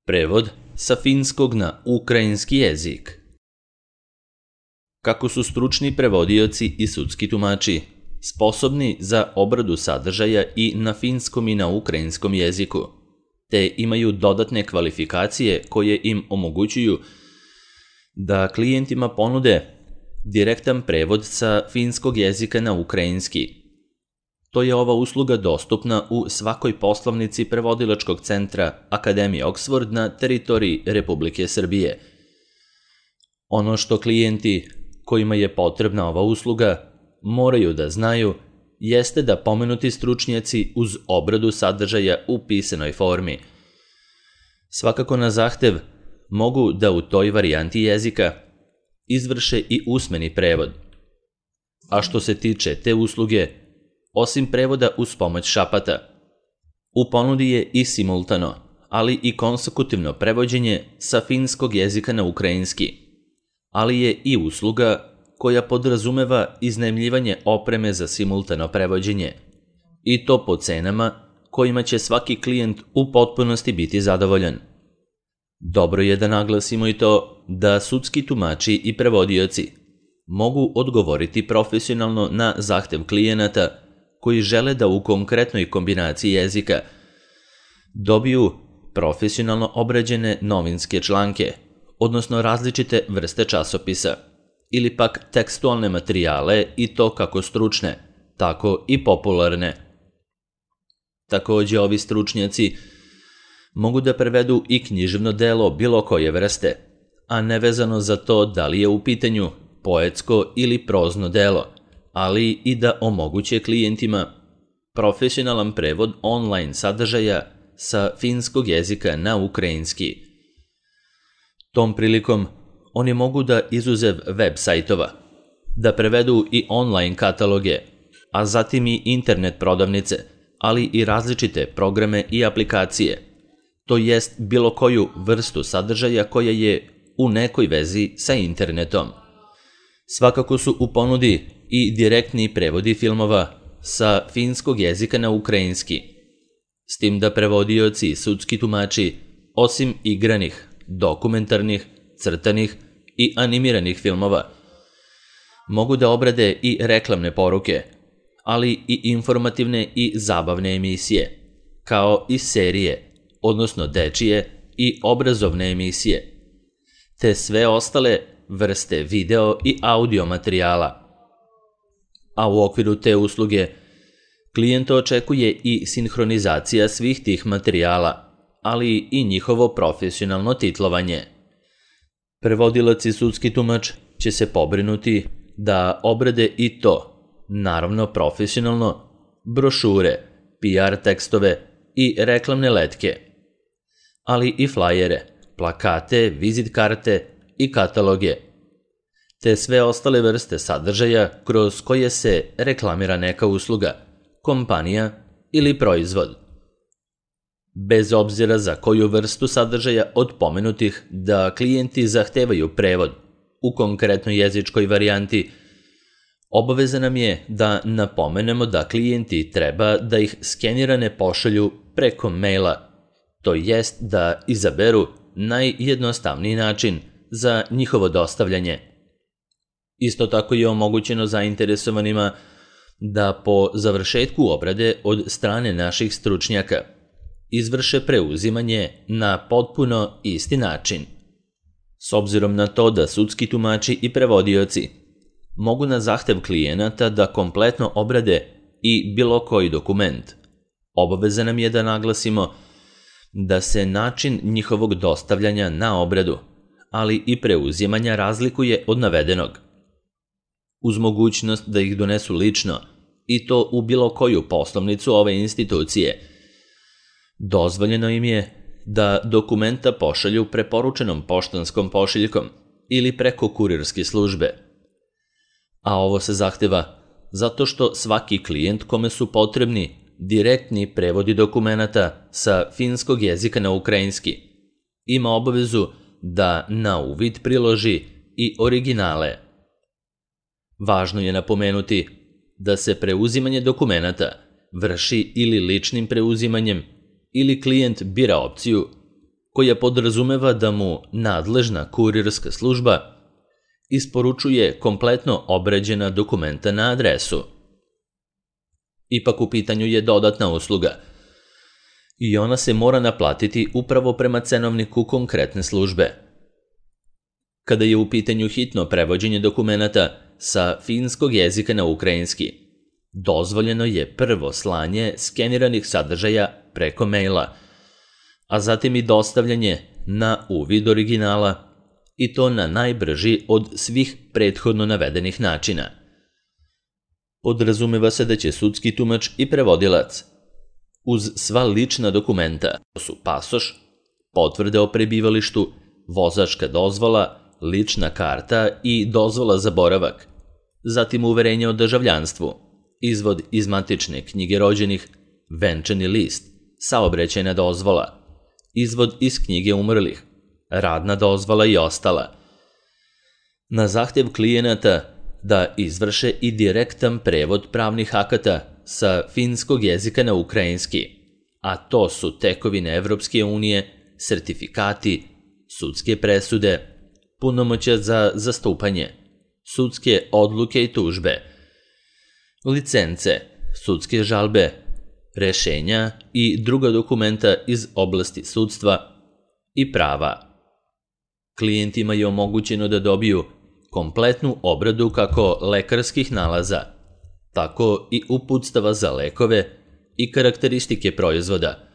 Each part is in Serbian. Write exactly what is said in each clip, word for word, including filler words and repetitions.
Prevod sa finskog na ukrajinski jezik. Kako su stručni prevodioci i sudski tumači sposobni za obradu sadržaja i na finskom i na ukrajinskom jeziku, te imaju dodatne kvalifikacije koje im omogućuju da klijentima ponude direktan prevod sa finskog jezika na ukrajinski. To je ova usluga dostupna u svakoj poslovnici prevodilačkog centra Akademije Oxford na teritoriji Republike Srbije. Ono što klijenti kojima je potrebna ova usluga moraju da znaju jeste da pomenuti stručnjaci uz obradu sadržaja u pisanoj formi svakako na zahtev mogu da u toj varijanti jezika izvrše i usmeni prevod. A što se tiče te usluge, osim prevoda uz pomoć šapata, u ponudi je i simultano, ali i konsekutivno prevođenje sa finskog jezika na ukrajinski, ali je i usluga koja podrazumeva iznajmljivanje opreme za simultano prevođenje, i to po cenama kojima će svaki klijent u potpunosti biti zadovoljan. Dobro je da naglasimo i to da sudski tumači i prevodioci mogu odgovoriti profesionalno na zahtev klijenata koji žele da u konkretnoj kombinaciji jezika dobiju profesionalno obrađene novinske članke, odnosno različite vrste časopisa, ili pak tekstualne materijale i to kako stručne, tako i popularne. Takođe, ovi stručnjaci mogu da prevedu i književno delo bilo koje vrste, a nevezano za to da li je u pitanju poetsko ili prozno delo, ali i da omoguće klijentima profesionalan prevod online sadržaja sa finskog jezika na ukrajinski. Tom prilikom oni mogu da izuzev web sajtova, da prevedu i online kataloge, a zatim i internet prodavnice, ali i različite programe i aplikacije, to jest bilo koju vrstu sadržaja koja je u nekoj vezi sa internetom. Svakako su u ponudi i direktni prevodi filmova sa finskog jezika na ukrajinski, s tim da prevodioci i sudski tumači, osim igranih, dokumentarnih, crtanih i animiranih filmova, mogu da obrade i reklamne poruke, ali i informativne i zabavne emisije, kao i serije, odnosno dečije i obrazovne emisije, te sve ostale vrste video i audio materijala. A u okviru te usluge klijenta očekuje i sinhronizacija svih tih materijala, ali i njihovo profesionalno titlovanje. Prevodilac i sudski tumač će se pobrinuti da obrade i to, naravno profesionalno, brošure, P R tekstove i reklamne letke, ali i flajere, plakate, vizit karte i kataloge, te sve ostale vrste sadržaja kroz koje se reklamira neka usluga, kompanija ili proizvod. Bez obzira za koju vrstu sadržaja od pomenutih da klijenti zahtevaju prevod u konkretnoj jezičkoj varijanti, obaveza nam je da napomenemo da klijenti treba da ih skenirane pošalju preko maila, to jest da izaberu najjednostavniji način za njihovo dostavljanje. Isto tako je omogućeno zainteresovanima da po završetku obrade od strane naših stručnjaka izvrše preuzimanje na potpuno isti način. S obzirom na to da sudski tumači i prevodioci mogu na zahtev klijenata da kompletno obrade i bilo koji dokument, obaveza nam je da naglasimo da se način njihovog dostavljanja na obradu, ali i preuzimanja razlikuje od navedenog. Uz mogućnost da ih donesu lično, i to u bilo koju poslovnicu ove institucije, dozvoljeno im je da dokumenta pošalju preporučenom poštanskom pošiljkom ili preko kurirske službe. A ovo se zahteva zato što svaki klijent kome su potrebni direktni prevodi dokumenata sa finskog jezika na ukrajinski ima obavezu da na uvid priloži i originale. Važno je napomenuti da se preuzimanje dokumenata vrši ili ličnim preuzimanjem ili klijent bira opciju koja podrazumeva da mu nadležna kurirska služba isporučuje kompletno obrađena dokumenta na adresu. Ipak u pitanju je dodatna usluga i ona se mora naplatiti upravo prema cenovniku konkretne službe. Kada je u pitanju hitno prevođenje dokumenata sa finskog jezika na ukrajinski, dozvoljeno je prvo slanje skeniranih sadržaja preko maila, a zatim i dostavljanje na uvid originala, i to na najbrži od svih prethodno navedenih načina. Podrazumeva se da će sudski tumač i prevodilac uz sva lična dokumenta, to su pasoš, potvrde o prebivalištu, vozačka dozvola, lična karta i dozvola za boravak, zatim uverenje o državljanstvu, izvod iz matične knjige rođenih, venčani list, saobraćajna dozvola, izvod iz knjige umrlih, radna dozvola i ostala. Na zahtev klijenata da izvrše i direktan prevod pravnih akata sa finskog jezika na ukrajinski, a to su tekovine Evropske unije, sertifikati, sudske presude, punomoćja za zastupanje, sudske odluke i tužbe, licence, sudske žalbe, rešenja i druga dokumenta iz oblasti sudstva i prava. Klijentima je omogućeno da dobiju kompletnu obradu kako lekarskih nalaza, tako i uputstava za lekove i karakteristike proizvoda,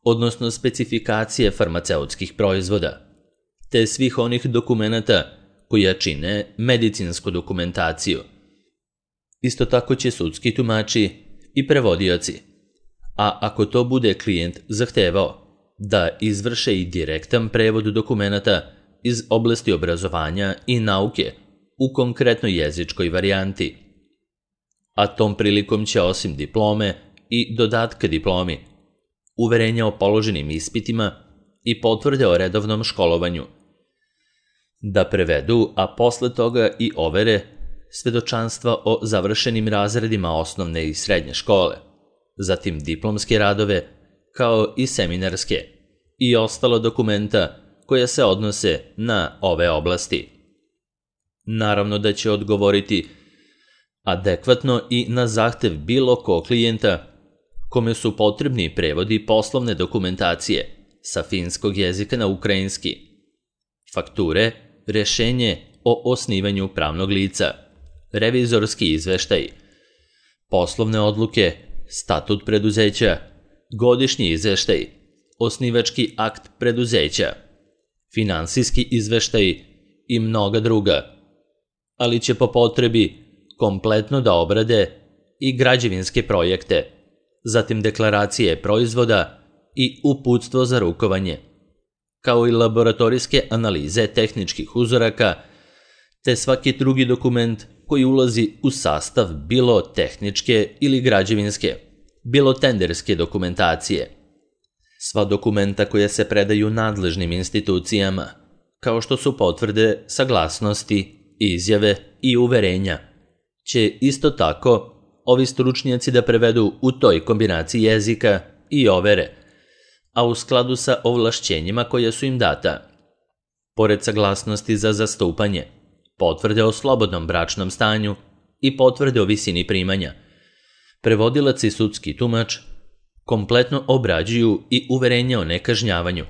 odnosno specifikacije farmaceutskih proizvoda, te svih onih dokumenata koja čine medicinsku dokumentaciju. Isto tako će sudski tumači i prevodioci, a ako to bude klijent zahtevao, da izvrše i direktan prevod dokumenata iz oblasti obrazovanja i nauke u konkretnoj jezičkoj varijanti. A tom prilikom će osim diplome i dodatka diplomi, uverenja o položenim ispitima i potvrde o redovnom školovanju da prevedu, a posle toga i overe svedočanstva o završenim razredima osnovne i srednje škole, zatim diplomske radove, kao i seminarske i ostala dokumenta koja se odnose na ove oblasti. Naravno da će odgovoriti adekvatno i na zahtev bilo kog klijenta kome su potrebni prevodi poslovne dokumentacije sa finskog jezika na ukrajinski, fakture, rešenje o osnivanju pravnog lica, revizorski izveštaj, poslovne odluke, statut preduzeća, godišnji izveštaj, osnivački akt preduzeća, finansijski izveštaj i mnoga druga, ali će po potrebi kompletno da obrade i građevinske projekte, zatim deklaracije proizvoda i uputstvo za rukovanje, kao i laboratorijske analize tehničkih uzoraka, te svaki drugi dokument koji ulazi u sastav bilo tehničke ili građevinske, bilo tenderske dokumentacije. Sva dokumenta koja se predaju nadležnim institucijama, kao što su potvrde, saglasnosti, izjave i uverenja, će isto tako ovi stručnjaci da prevedu u toj kombinaciji jezika i overe, a u skladu sa ovlašćenjima koja su im data. Pored saglasnosti za zastupanje, potvrde o slobodnom bračnom stanju i potvrde o visini primanja, prevodilac i sudski tumač kompletno obrađuju i uverenje o nekažnjavanju,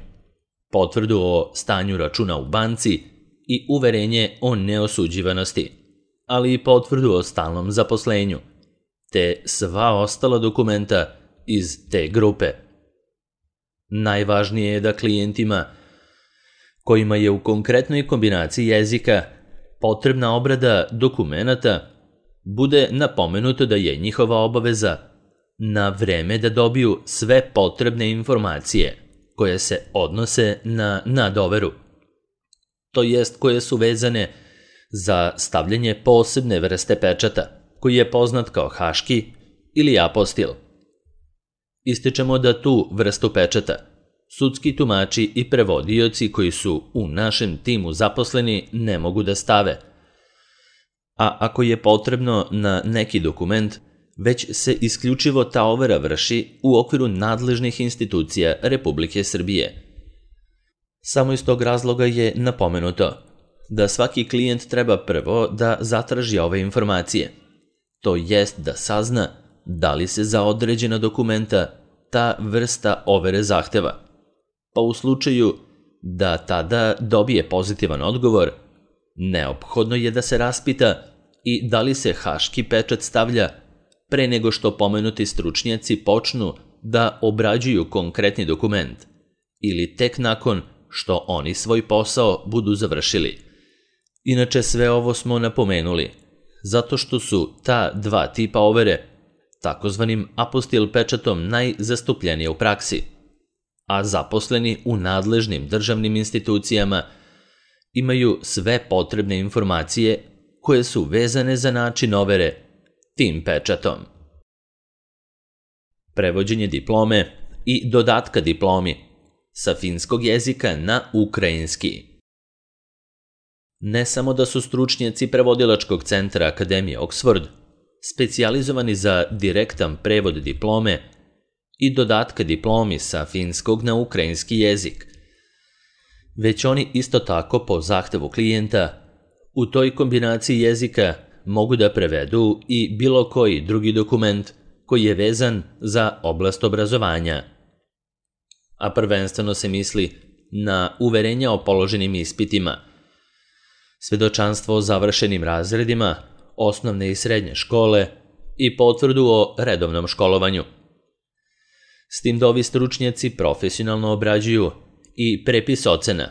potvrdu o stanju računa u banci i uverenje o neosuđivanosti, ali i potvrdu o stalnom zaposlenju, te sva ostala dokumenta iz te grupe. Najvažnije je da klijentima kojima je u konkretnoj kombinaciji jezika potrebna obrada dokumenata bude napomenuto da je njihova obaveza na vreme da dobiju sve potrebne informacije koje se odnose na nadoveru, to jest koje su vezane za stavljanje posebne vrste pečata, koji je poznat kao haški ili apostil. Ističemo da tu vrstu pečata sudski tumači i prevodioci koji su u našem timu zaposleni ne mogu da stave, a ako je potrebno na neki dokument, već se isključivo ta overa vrši u okviru nadležnih institucija Republike Srbije. Samo iz tog razloga je napomenuto da svaki klijent treba prvo da zatraži ove informacije, to jest da sazna da li se za određena dokumenta ta vrsta overe zahteva, pa u slučaju da tada dobije pozitivan odgovor, neophodno je da se raspita i da li se haški pečat stavlja pre nego što pomenuti stručnjaci počnu da obrađuju konkretni dokument ili tek nakon što oni svoj posao budu završili. Inače, sve ovo smo napomenuli zato što su ta dva tipa overe takozvanim apostil pečatom najzastupljenije u praksi, a zaposleni u nadležnim državnim institucijama imaju sve potrebne informacije koje su vezane za način overe tim pečatom. Prevođenje diplome i dodatka diplomi sa finskog jezika na ukrajinski. Ne samo da su stručnjaci prevodilačkog centra Akademije Oxford specijalizovani za direktan prevod diplome i dodatka diplomi sa finskog na ukrajinski jezik, već oni isto tako po zahtevu klijenta u toj kombinaciji jezika mogu da prevedu i bilo koji drugi dokument koji je vezan za oblast obrazovanja. A prvenstveno se misli na uverenja o položenim ispitima, svedočanstvo o završenim razredima, osnovne i srednje škole i potvrdu o redovnom školovanju. S tim da ovi stručnjaci profesionalno obrađuju i prepis ocena,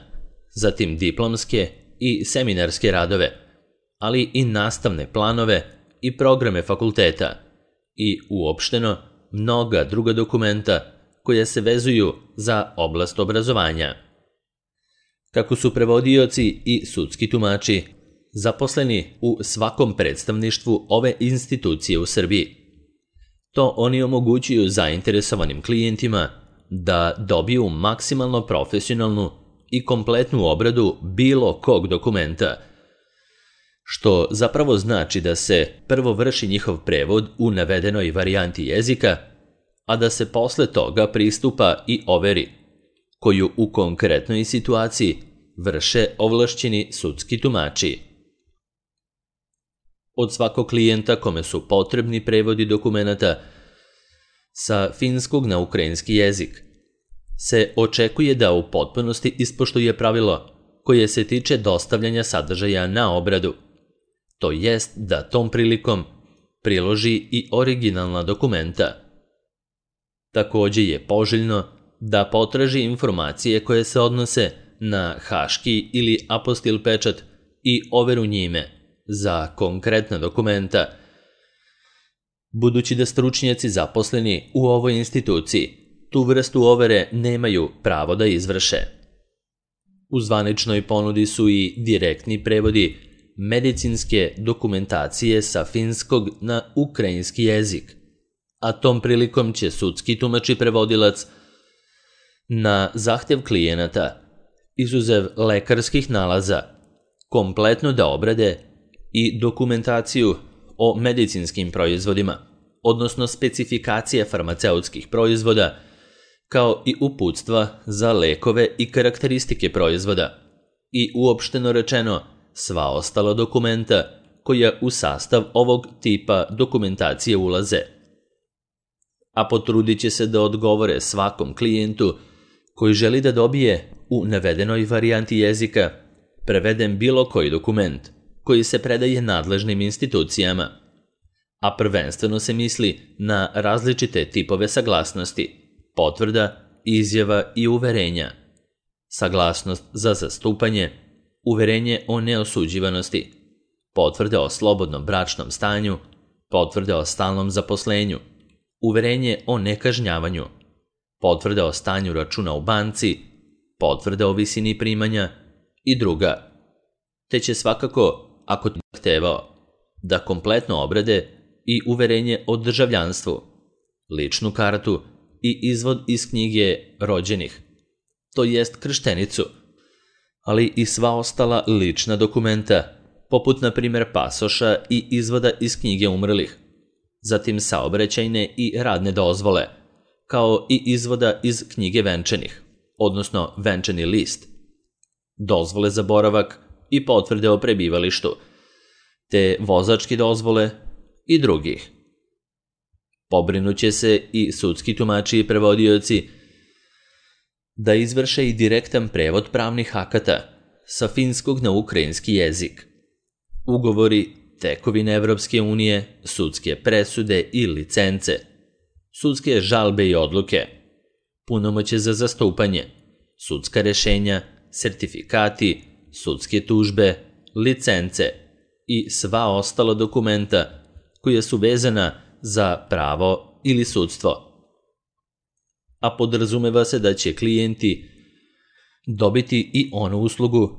zatim diplomske i seminarske radove, ali i nastavne planove i programe fakulteta i uopšteno mnoga druga dokumenta koja se vezuju za oblast obrazovanja. Kako su prevodioci i sudski tumači zaposleni u svakom predstavništvu ove institucije u Srbiji, to oni omogućuju zainteresovanim klijentima da dobiju maksimalno profesionalnu i kompletnu obradu bilo kog dokumenta, što zapravo znači da se prvo vrši njihov prevod u navedenoj varijanti jezika, a da se posle toga pristupa i overi, koju u konkretnoj situaciji vrše ovlašćeni sudski tumači. Od svakog klijenta kome su potrebni prevodi dokumenata sa finskog na ukrajinski jezik se očekuje da u potpunosti ispoštuje pravilo koje se tiče dostavljanja sadržaja na obradu, to jest da tom prilikom priloži i originalna dokumenta. Takođe je poželjno da potraži informacije koje se odnose na haški ili apostil pečat i overu njime za konkretna dokumenta, budući da stručnjaci zaposleni u ovoj instituciji tu vrstu overe nemaju pravo da izvrše. U zvaničnoj ponudi su i direktni prevodi medicinske dokumentacije sa finskog na ukrajinski jezik, a tom prilikom će sudski tumač i prevodilac na zahtev klijenata, izuzev lekarskih nalaza, kompletno da obrade i dokumentaciju o medicinskim proizvodima, odnosno specifikacije farmaceutskih proizvoda, kao i uputstva za lekove i karakteristike proizvoda i uopšteno rečeno sva ostala dokumenta koja u sastav ovog tipa dokumentacije ulaze. A potrudit će se da odgovore svakom klijentu koji želi da dobije u navedenoj varijanti jezika preveden bilo koji dokument koji se predaje nadležnim institucijama, a prvenstveno se misli na različite tipove saglasnosti, potvrda, izjava i uverenja, saglasnost za zastupanje, uverenje o neosuđivanosti, potvrde o slobodnom bračnom stanju, potvrde o stalnom zaposlenju, uverenje o nekažnjavanju, potvrde o stanju računa u banci, potvrde o visini primanja i druga, te će svakako, ako to zahtevao, da kompletno obrade i uverenje o državljanstvu, ličnu kartu i izvod iz knjige rođenih, to jest krštenicu, ali i sva ostala lična dokumenta, poput na primjer pasoša i izvoda iz knjige umrlih, zatim saobraćajne i radne dozvole, kao i izvoda iz knjige venčanih, odnosno venčani list, dozvole za boravak i potvrde o prebivalištu, te vozačke dozvole i drugih. Pobrinuće se i sudski tumači i prevodioci da izvrše i direktan prevod pravnih akata sa finskog na ukrajinski jezik. Ugovori, tekovine Evropske unije, sudske presude i licence, sudske žalbe i odluke, punomoćje za zastupanje, sudska rešenja, sertifikati, sudske tužbe, licence i sva ostala dokumenta koja su vezana za pravo ili sudstvo. A podrazumeva se da će klijenti dobiti i onu uslugu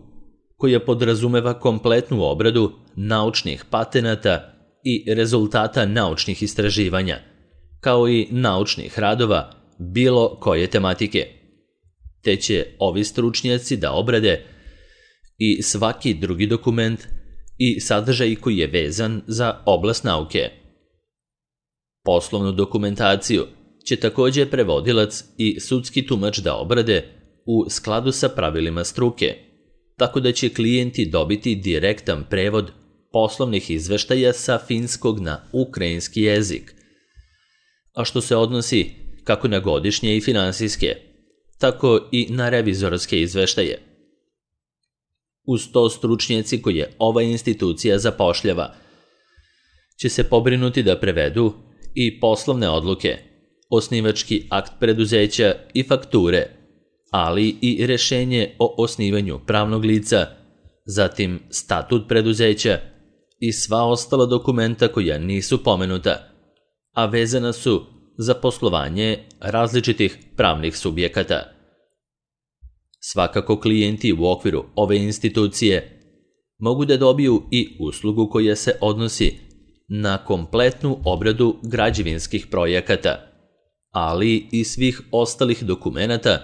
koja podrazumeva kompletnu obradu naučnih patenata i rezultata naučnih istraživanja, kao i naučnih radova bilo koje tematike, te će ovi stručnjaci da obrade i svaki drugi dokument i sadržaj koji je vezan za oblast nauke. Poslovnu dokumentaciju će također prevodilac i sudski tumač da obrade u skladu sa pravilima struke, tako da će klijenti dobiti direktan prevod poslovnih izveštaja sa finskog na ukrajinski jezik, a što se odnosi kako na godišnje i finansijske, tako i na revizorske izveštaje. Uz to stručnjaci koje ova institucija zapošljava će se pobrinuti da prevedu i poslovne odluke, osnivački akt preduzeća i fakture, ali i rešenje o osnivanju pravnog lica, zatim statut preduzeća i sva ostala dokumenta koja nisu pomenuta, a vezana su za poslovanje različitih pravnih subjekata. Svakako klijenti u okviru ove institucije mogu da dobiju i uslugu koja se odnosi na kompletnu obradu građevinskih projekata, ali i svih ostalih dokumenata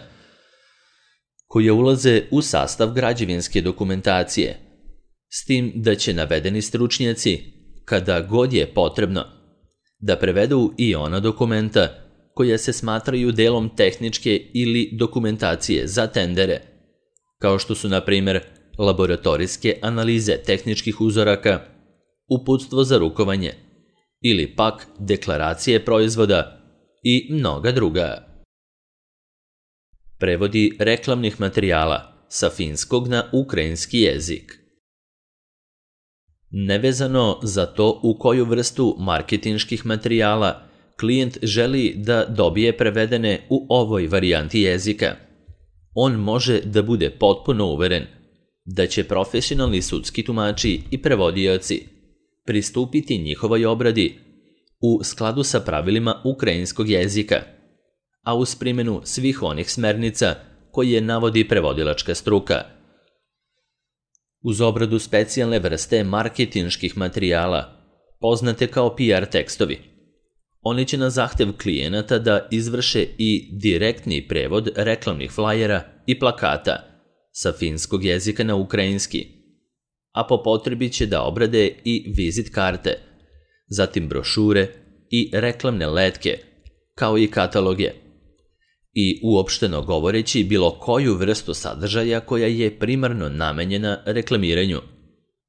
koje ulaze u sastav građevinske dokumentacije, s tim da će navedeni stručnjaci, kada god je potrebno, da prevedu i ona dokumenta koja se smatraju delom tehničke ili dokumentacije za tendere, kao što su, na primjer, laboratorijske analize tehničkih uzoraka, uputstvo za rukovanje ili pak deklaracije proizvoda i mnoga druga. Prevodi reklamnih materijala sa finskog na ukrajinski jezik. Nevezano za to u koju vrstu marketinških materijala klijent želi da dobije prevedene u ovoj varijanti jezika, on može da bude potpuno uveren da će profesionalni sudski tumači i prevodioci pristupiti njihovoj obradi u skladu sa pravilima ukrajinskog jezika, a uz primjenu svih onih smernica koje navodi prevodilačka struka. Uz obradu specijalne vrste marketinških materijala, poznate kao P R tekstovi, oni će na zahtev klijenata da izvrše i direktni prevod reklamnih flajera i plakata sa finskog jezika na ukrajinski, a po potrebi će da obrade i vizit karte, zatim brošure i reklamne letke, kao i kataloge, i uopšteno govoreći bilo koju vrstu sadržaja koja je primarno namenjena reklamiranju,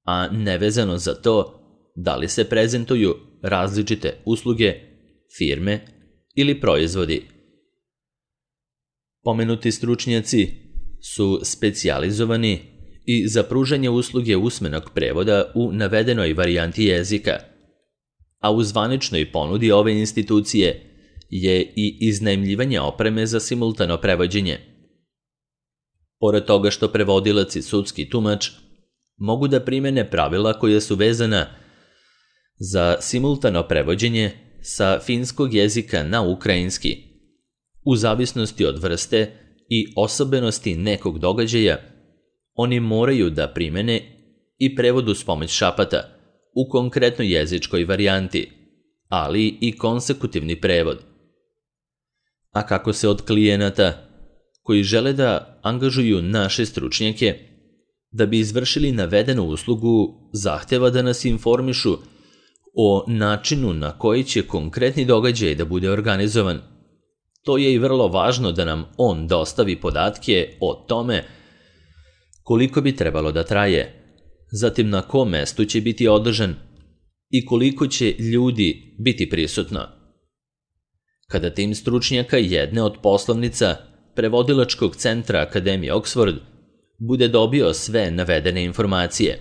a nevezano za to da li se prezentuju različite usluge, firme ili proizvodi. Pomenuti stručnjaci su specijalizovani i za pružanje usluge usmenog prevoda u navedenoj varijanti jezika, a u zvaničnoj ponudi ove institucije je i iznajmljivanje opreme za simultano prevođenje. Pored toga što prevodilac i sudski tumač mogu da primene pravila koja su vezana za simultano prevođenje sa finskog jezika na ukrajinski, u zavisnosti od vrste i osobenosti nekog događaja, oni moraju da primene i prevod uz pomoć šapata u konkretnoj jezičkoj varijanti, ali i konsekutivni prevod. A kako se od klijenata koji žele da angažuju naše stručnjake da bi izvršili navedenu uslugu zahteva da nas informišu o načinu na koji će konkretni događaj da bude organizovan, to je i vrlo važno da nam on dostavi podatke o tome koliko bi trebalo da traje, zatim na kom mestu će biti održan i koliko će ljudi biti prisutno. Kada tim stručnjaka jedne od poslovnica prevodilačkog centra Akademije Oxford bude dobio sve navedene informacije,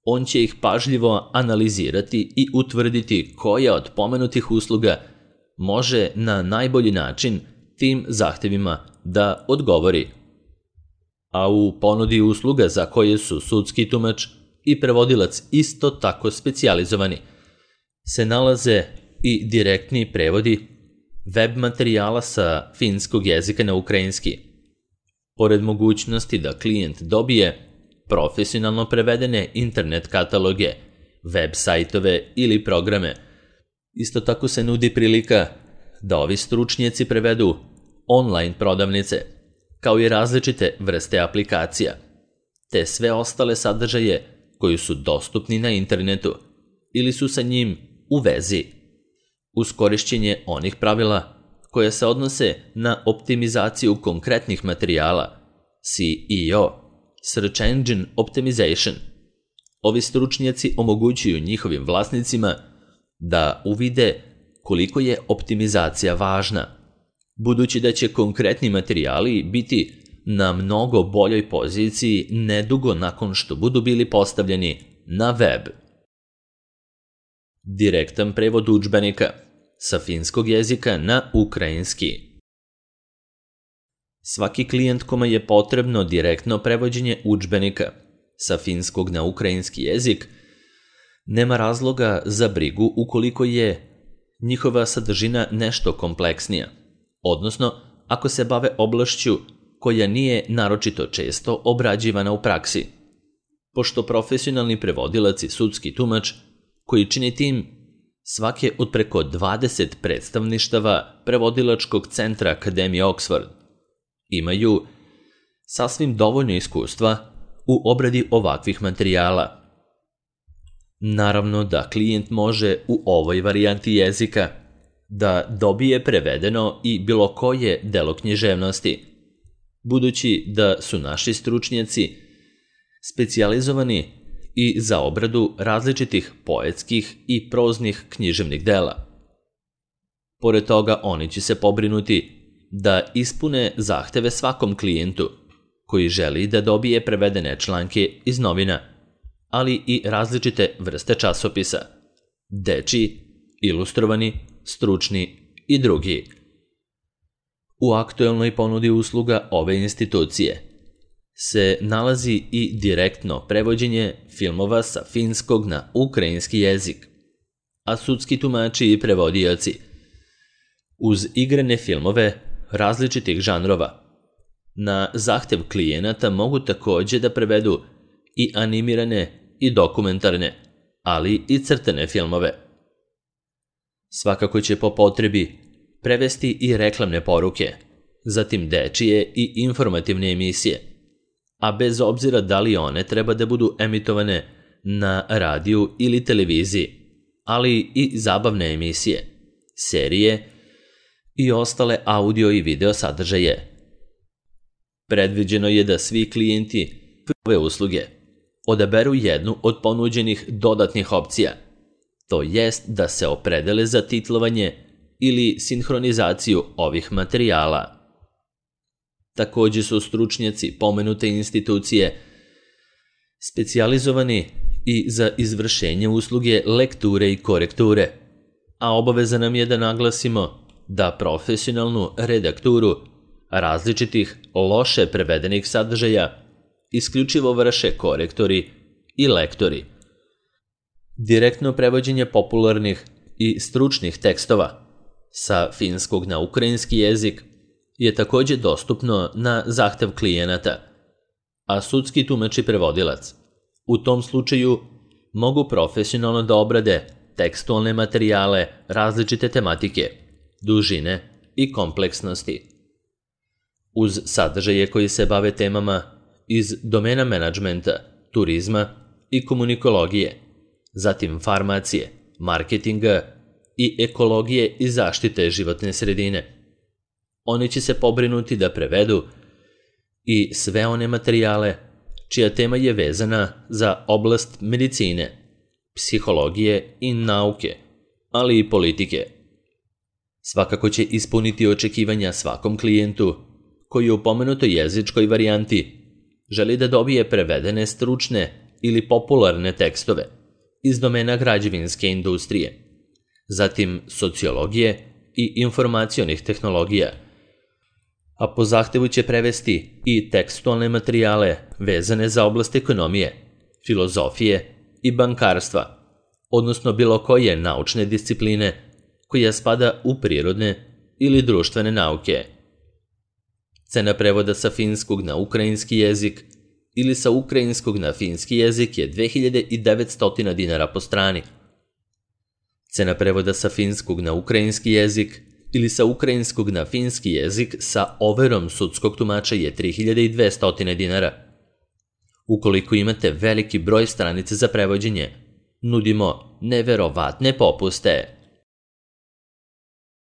on će ih pažljivo analizirati i utvrditi koja od pomenutih usluga može na najbolji način tim zahtevima da odgovori. A u ponudi usluga za koje su sudski tumač i prevodilac isto tako specijalizovani se nalaze i direktni prevodi web materijala sa finskog jezika na ukrajinski, pored mogućnosti da klijent dobije profesionalno prevedene internet kataloge, web sajtove ili programe. Isto tako se nudi prilika da ovi stručnjaci prevedu online prodavnice, kao i različite vrste aplikacija, te sve ostale sadržaje koji su dostupni na internetu ili su sa njim u vezi, uz korišćenje onih pravila koja se odnose na optimizaciju konkretnih materijala, S E O, Search Engine Optimization. Ovi stručnjaci omogućuju njihovim vlasnicima da uvide koliko je optimizacija važna, budući da će konkretni materijali biti na mnogo boljoj poziciji nedugo nakon što budu bili postavljeni na web. Direktan prevod udžbenika sa finskog jezika na ukrajinski. Svaki klijent kome je potrebno direktno prevođenje udžbenika sa finskog na ukrajinski jezik nema razloga za brigu ukoliko je njihova sadržina nešto kompleksnija, odnosno ako se bave oblašću koja nije naročito često obrađivana u praksi, pošto profesionalni prevodilac i sudski tumač koji čini tim svake od preko dvadeset predstavništava prevodilačkog centra Akademije Oxford imaju sasvim dovoljno iskustva u obradi ovakvih materijala. Naravno da klijent može u ovoj varijanti jezika da dobije prevedeno i bilo koje delo književnosti, budući da su naši stručnjaci specijalizovani i za obradu različitih poetskih i proznih književnih dela. Pored toga, oni će se pobrinuti da ispune zahteve svakom klijentu koji želi da dobije prevedene članke iz novina, ali i različite vrste časopisa, dečiji, ilustrovani, stručni i drugi. U aktuelnoj ponudi usluga ove institucije se nalazi i direktno prevođenje filmova sa finskog na ukrajinski jezik, a sudski tumači i prevodioci uz igrane filmove različitih žanrova na zahtev klijenata mogu takođe da prevedu i animirane i dokumentarne, ali i crtane filmove. Svakako će po potrebi prevesti i reklamne poruke, zatim dečije i informativne emisije, a bez obzira da li one treba da budu emitovane na radiju ili televiziji, ali i zabavne emisije, serije i ostale audio i video sadržaje. Predviđeno je da svi klijenti ove usluge odaberu jednu od ponuđenih dodatnih opcija, to jest da se opredele za titlovanje ili sinhronizaciju ovih materijala. Takođe su stručnjaci pomenute institucije specijalizovani i za izvršenje usluge lekture i korekture, a obaveza nam je da naglasimo da profesionalnu redakturu različitih loše prevedenih sadržaja isključivo vrše korektori i lektori. Direktno prevođenje popularnih i stručnih tekstova sa finskog na ukrajinski jezik je takođe dostupno na zahtev klijenata, a sudski tumač i prevodilac u tom slučaju mogu profesionalno da obrade tekstualne materijale različite tematike, dužine i kompleksnosti. Uz sadržaje koji se bave temama iz domena menadžmenta, turizma i komunikologije, zatim farmacije, marketinga i ekologije i zaštite životne sredine. Oni će se pobrinuti da prevedu i sve one materijale čija tema je vezana za oblast medicine, psihologije i nauke, ali i politike. Svakako će ispuniti očekivanja svakom klijentu koji u pomenutoj jezičkoj varijanti želi da dobije prevedene stručne ili popularne tekstove iz domena građevinske industrije, zatim sociologije i informacionih tehnologija, a po zahtevu će prevesti i tekstualne materijale vezane za oblast ekonomije, filozofije i bankarstva, odnosno bilo koje naučne discipline koja spada u prirodne ili društvene nauke. Cena prevoda sa finskog na ukrajinski jezik ili sa ukrajinskog na finski jezik je dve hiljade devetsto dinara po strani. Cena prevoda sa finskog na ukrajinski jezik ili sa ukrajinskog na finski jezik sa overom sudskog tumača je tri hiljade dvesta dinara. Ukoliko imate veliki broj stranica za prevođenje, nudimo neverovatne popuste.